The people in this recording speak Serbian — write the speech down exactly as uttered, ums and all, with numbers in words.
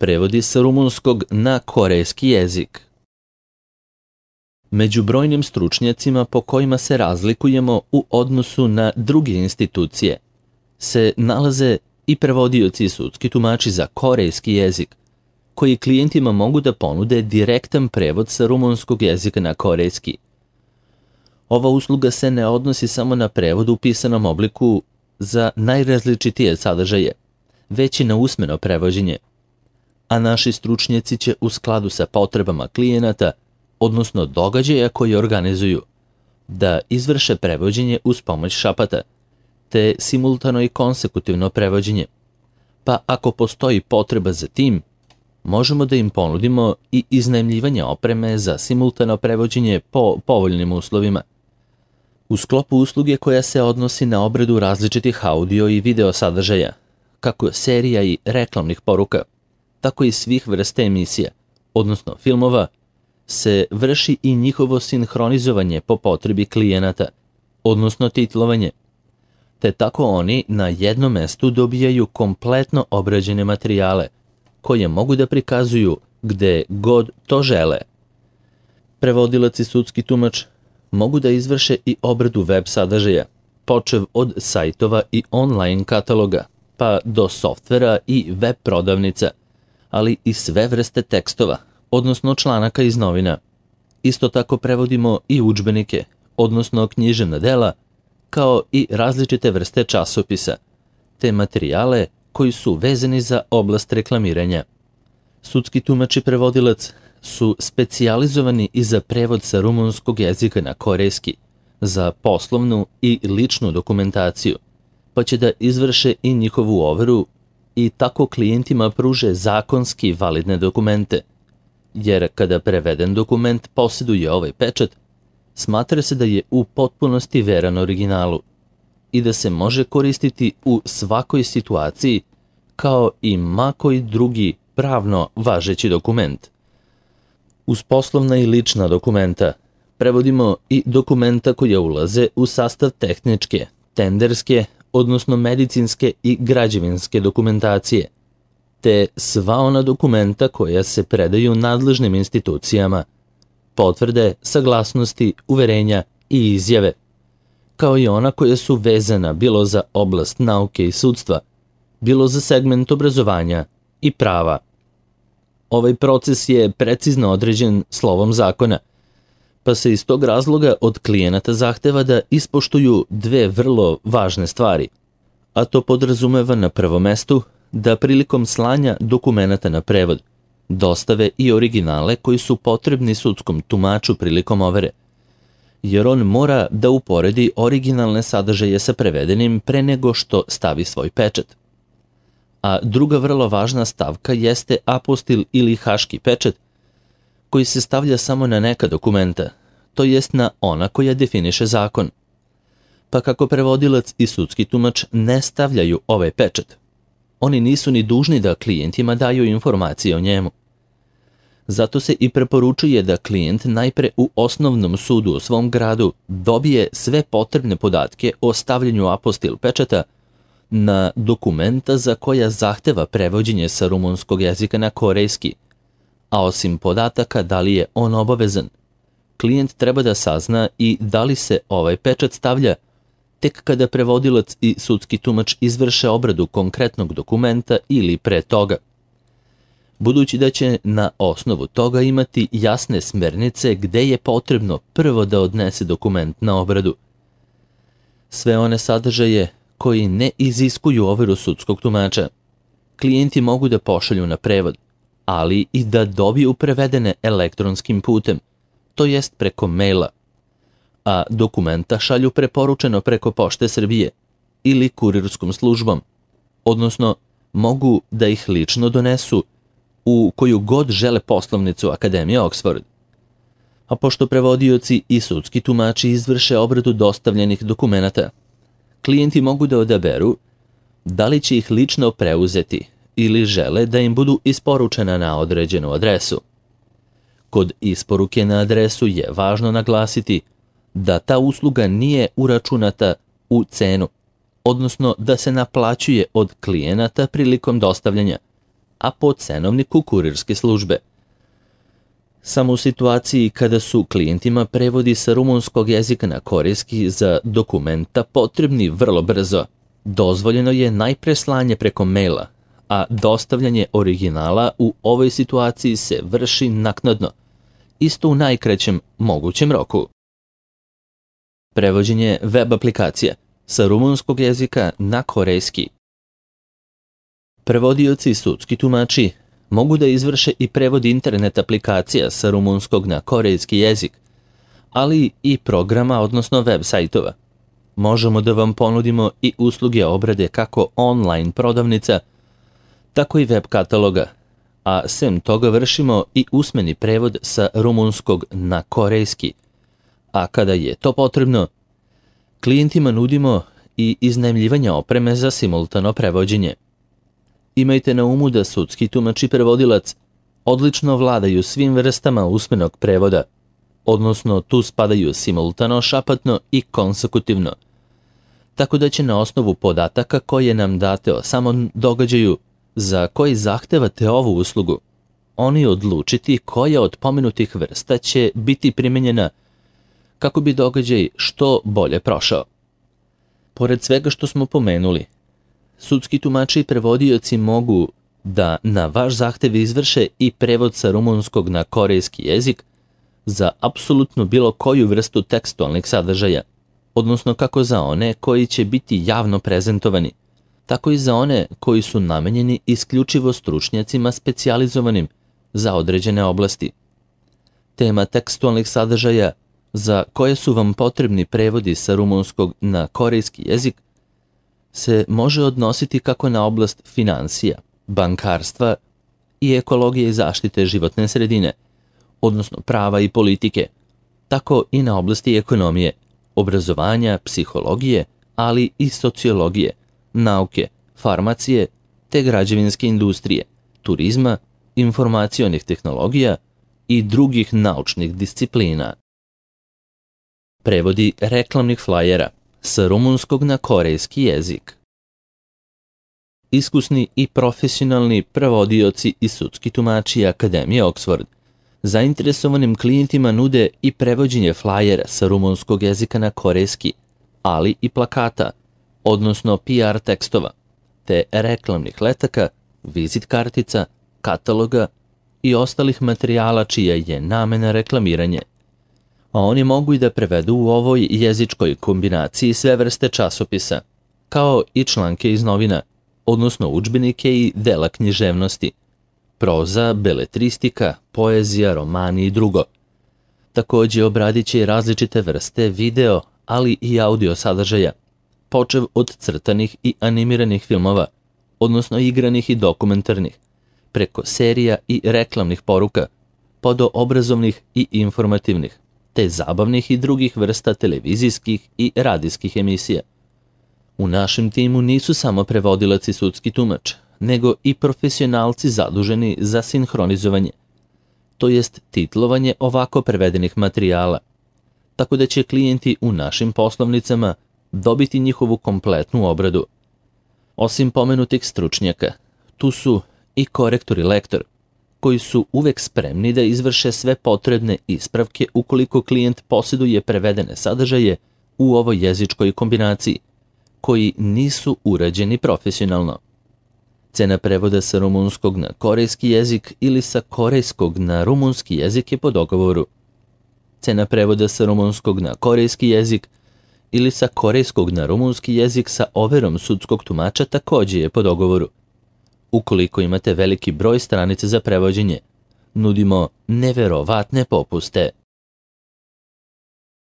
Prevodi sa rumunskog na korejski jezik. Među brojnim stručnjacima po kojima se razlikujemo u odnosu na druge institucije se nalaze i prevodioci i sudski tumači za korejski jezik, koji klijentima mogu da ponude direktan prevod sa rumunskog jezika na korejski. Ova usluga se ne odnosi samo na prevod u pisanom obliku za najrazličitije sadržaje, već i na usmeno prevođenje, a naši stručnjaci će u skladu sa potrebama klijenata, odnosno događaja koji organizuju, da izvrše prevođenje uz pomoć šapata, te simultano i konsekutivno prevođenje. Pa ako postoji potreba za tim, možemo da im ponudimo i iznajmljivanje opreme za simultano prevođenje po povoljnim uslovima. U sklopu usluge koja se odnosi na obradu različitih audio i video sadržaja, kako serija i reklamnih poruka, tako i svih vrsta emisija, odnosno filmova, se vrši i njihovo sinhronizovanje po potrebi klijenata, odnosno titlovanje, te tako oni na jednom mestu dobijaju kompletno obrađene materijale, koje mogu da prikazuju gde god to žele. Prevodilac i sudski tumač mogu da izvrše i obradu web sadržaja, počev od sajtova i online kataloga, pa do softvera i web prodavnica, ali i sve vrste tekstova, odnosno članaka iz novina. Isto tako prevodimo i udžbenike, odnosno književna dela, kao i različite vrste časopisa, te materijale koji su vezani za oblast reklamiranja. Sudski tumač i prevodilac su specijalizovani i za prevod sa rumunskog jezika na korejski, za poslovnu i ličnu dokumentaciju, pa će da izvrše i njihovu overu i tako klijentima pruže zakonski validne dokumente, jer kada preveden dokument posjeduje ovaj pečat, smatra se da je u potpunosti veran originalu i da se može koristiti u svakoj situaciji kao i ma koji drugi pravno važeći dokument. Uz poslovna i lična dokumenta prevodimo i dokumenta koja ulaze u sastav tehničke, tenderske, odnosno medicinske i građevinske dokumentacije, te sva ona dokumenta koja se predaju nadležnim institucijama, potvrde, saglasnosti, uverenja i izjave, kao i ona koja su vezana bilo za oblast nauke i sudstva, bilo za segment obrazovanja i prava. Ovaj proces je precizno određen slovom zakona, pa se iz tog razloga od klijenata zahteva da ispoštuju dve vrlo važne stvari, a to podrazumeva na prvom mestu da prilikom slanja dokumenata na prevod dostave i originale koji su potrebni sudskom tumaču prilikom overe, jer on mora da uporedi originalne sadržaje sa prevedenim pre nego što stavi svoj pečat. A druga vrlo važna stavka jeste apostil ili haški pečat, koji se stavlja samo na neka dokumenta, to jest na ona koja definiše zakon. Pa kako prevodilac i sudski tumač ne stavljaju ovaj pečat, oni nisu ni dužni da klijentima daju informacije o njemu. Zato se i preporučuje da klijent najpre u osnovnom sudu u svom gradu dobije sve potrebne podatke o stavljanju apostil pečata na dokumenta za koja zahteva prevođenje sa rumunskog jezika na korejski, a osim podataka da li je on obavezan, klijent treba da sazna i da li se ovaj pečat stavlja tek kada prevodilac i sudski tumač izvrše obradu konkretnog dokumenta ili pre toga. Budući da će na osnovu toga imati jasne smernice gde je potrebno prvo da odnese dokument na obradu. Sve one sadržaje koji ne iziskuju overu sudskog tumača, klijenti mogu da pošalju na prevod, ali i da dobiju prevedene elektronskim putem, to jest preko maila, a dokumenta šalju preporučeno preko Pošte Srbije ili kurirskom službom, odnosno mogu da ih lično donesu u koju god žele poslovnicu Akademije Oxford. A pošto prevodioci i sudski tumači izvrše obradu dostavljenih dokumenata, klijenti mogu da odaberu da li će ih lično preuzeti ili žele da im budu isporučena na određenu adresu. Kod isporuke na adresu je važno naglasiti da ta usluga nije uračunata u cenu, odnosno da se naplaćuje od klijenata prilikom dostavljanja, a po cenovniku kurirske službe. Samo u situaciji kada su klijentima prevodi sa rumunskog jezika na korejski za dokumenta potrebni vrlo brzo, dozvoljeno je najpre slanje preko maila, a dostavljanje originala u ovoj situaciji se vrši naknadno, isto u najkraćem mogućem roku. Prevođenje web aplikacija sa rumunskog jezika na korejski. Prevodioci i sudski tumači mogu da izvrše i prevod internet aplikacija sa rumunskog na korejski jezik, ali i programa, odnosno web sajtova. Možemo da vam ponudimo i usluge obrade kako online prodavnica, tako i web kataloga, a sem toga vršimo i usmeni prevod sa rumunskog na korejski, a kada je to potrebno, klijentima nudimo i iznajmljivanje opreme za simultano prevođenje. Imajte na umu da sudski tumač i prevodilac odlično vladaju svim vrstama usmenog prevoda, odnosno tu spadaju simultano, šapatno i konsekutivno, tako da će na osnovu podataka koje nam date o samom događaju za koji zahtevate ovu uslugu, oni odlučiti koja od pomenutih vrsta će biti primenjena kako bi događaj što bolje prošao. Pored svega što smo pomenuli, sudski tumači i prevodioci mogu da na vaš zahtev izvrše i prevod sa rumunskog na korejski jezik za apsolutno bilo koju vrstu tekstualnih sadržaja, odnosno kako za one koji će biti javno prezentovani, tako i za one koji su namenjeni isključivo stručnjacima specijalizovanim za određene oblasti. Tema tekstualnih sadržaja za koje su vam potrebni prevodi sa rumunskog na korejski jezik se može odnositi kako na oblast finansija, bankarstva i ekologije i zaštite životne sredine, odnosno prava i politike, tako i na oblasti ekonomije, obrazovanja, psihologije, ali i sociologije, nauke, farmacije te građevinske industrije, turizma, informacionih tehnologija i drugih naučnih disciplina. Prevodi reklamnih flajera sa rumunskog na korejski jezik. Iskusni i profesionalni prevodioci i sudski tumači Akademije Oxford zainteresovanim klijentima nude i prevođenje flajera sa rumunskog jezika na korejski, ali i plakata, odnosno P R tekstova, te reklamnih letaka, vizit kartica, kataloga i ostalih materijala čija je namena reklamiranje. A oni mogu i da prevedu u ovoj jezičkoj kombinaciji sve vrste časopisa, kao i članke iz novina, odnosno udžbenike i dela književnosti, proza, beletristika, poezija, romani i drugo. Takođe obradit će i različite vrste video, ali i audio sadržaja, počev od crtanih i animiranih filmova, odnosno igranih i dokumentarnih, preko serija i reklamnih poruka, pa do obrazovnih i informativnih, te zabavnih i drugih vrsta televizijskih i radijskih emisija. U našem timu nisu samo prevodilac i sudski tumač, nego i profesionalci zaduženi za sinhronizovanje, to jest titlovanje ovako prevedenih materijala, tako da će klijenti u našim poslovnicama dobiti njihovu kompletnu obradu. Osim pomenutih stručnjaka, tu su i korektor i lektor, koji su uvek spremni da izvrše sve potrebne ispravke ukoliko klijent posjeduje prevedene sadržaje u ovoj jezičkoj kombinaciji, koji nisu urađeni profesionalno. Cena prevoda sa rumunskog na korejski jezik ili sa korejskog na rumunski jezik je po dogovoru. Cena prevoda sa rumunskog na korejski jezik ili sa korejskog na rumunski jezik sa overom sudskog tumača takođe je po dogovoru. Ukoliko imate veliki broj stranica za prevođenje, nudimo neverovatne popuste.